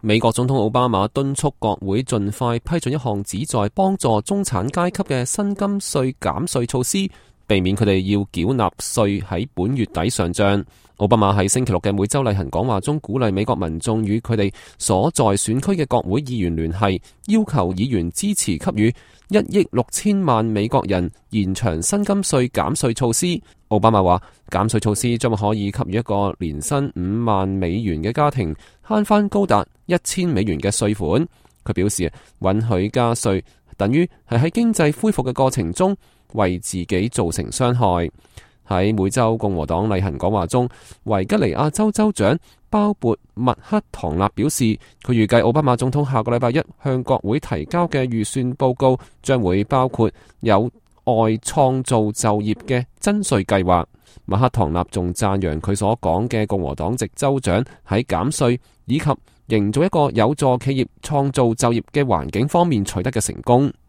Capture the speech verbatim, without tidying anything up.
美國總統奧巴馬敦促國會盡快批准一項旨在幫助中產階級嘅薪金稅減稅措施，避免佢哋要繳納稅喺本月底上漲。奧巴馬喺星期六嘅每週例行講話中，鼓勵美國民眾與佢哋所在選區嘅國會議員聯繫，要求議員支持給予一億六千萬美國人延長薪金稅減稅措施。奧巴馬話，減稅措施將可以給予一個年薪五萬美元嘅家庭慳返高達一千美元嘅稅款。佢表示，允許加稅等於係喺經濟恢復嘅過程中為自己造成傷害。喺每週共和黨例行講話中，維吉尼亞州州長鮑勃麥克唐納表示，佢預計奧巴馬總統下個禮拜一向國會提交嘅預算報告將會包括有外創造就業嘅增稅計劃。麥克唐納仲讚揚佢所講嘅共和黨籍州長喺減稅以及營造一個有助企業創造就業嘅環境方面取得嘅成功。